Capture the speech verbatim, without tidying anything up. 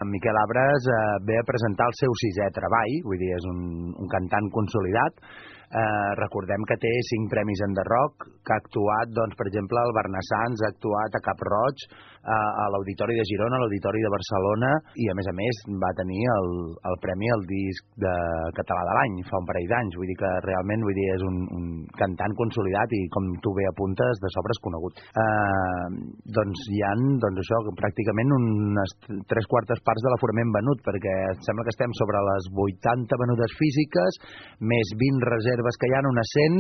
En Miquel Abres eh, ve a presentar el seu sisè treball, vull dir, és un, un cantant consolidat. Eh, recordem que té cinc premis Enderrock, que ha actuat, doncs, per exemple, al Barnassans, ha actuat a Cap Roig, eh, a l'Auditori de Girona, a l'Auditori de Barcelona, i a més a més va tenir el, el premi al disc de català de l'any fa un parell d'anys. Vull dir que realment vull dir, és un, un cantant consolidat i, com tu bé apuntes, de sobre és conegut. Eh, doncs hi ha, doncs això, pràcticament unes tres quartes parts de l'aforament venut, perquè sembla que estem sobre les vuitanta venudes físiques, més vint reserves que hi ha, unes cent,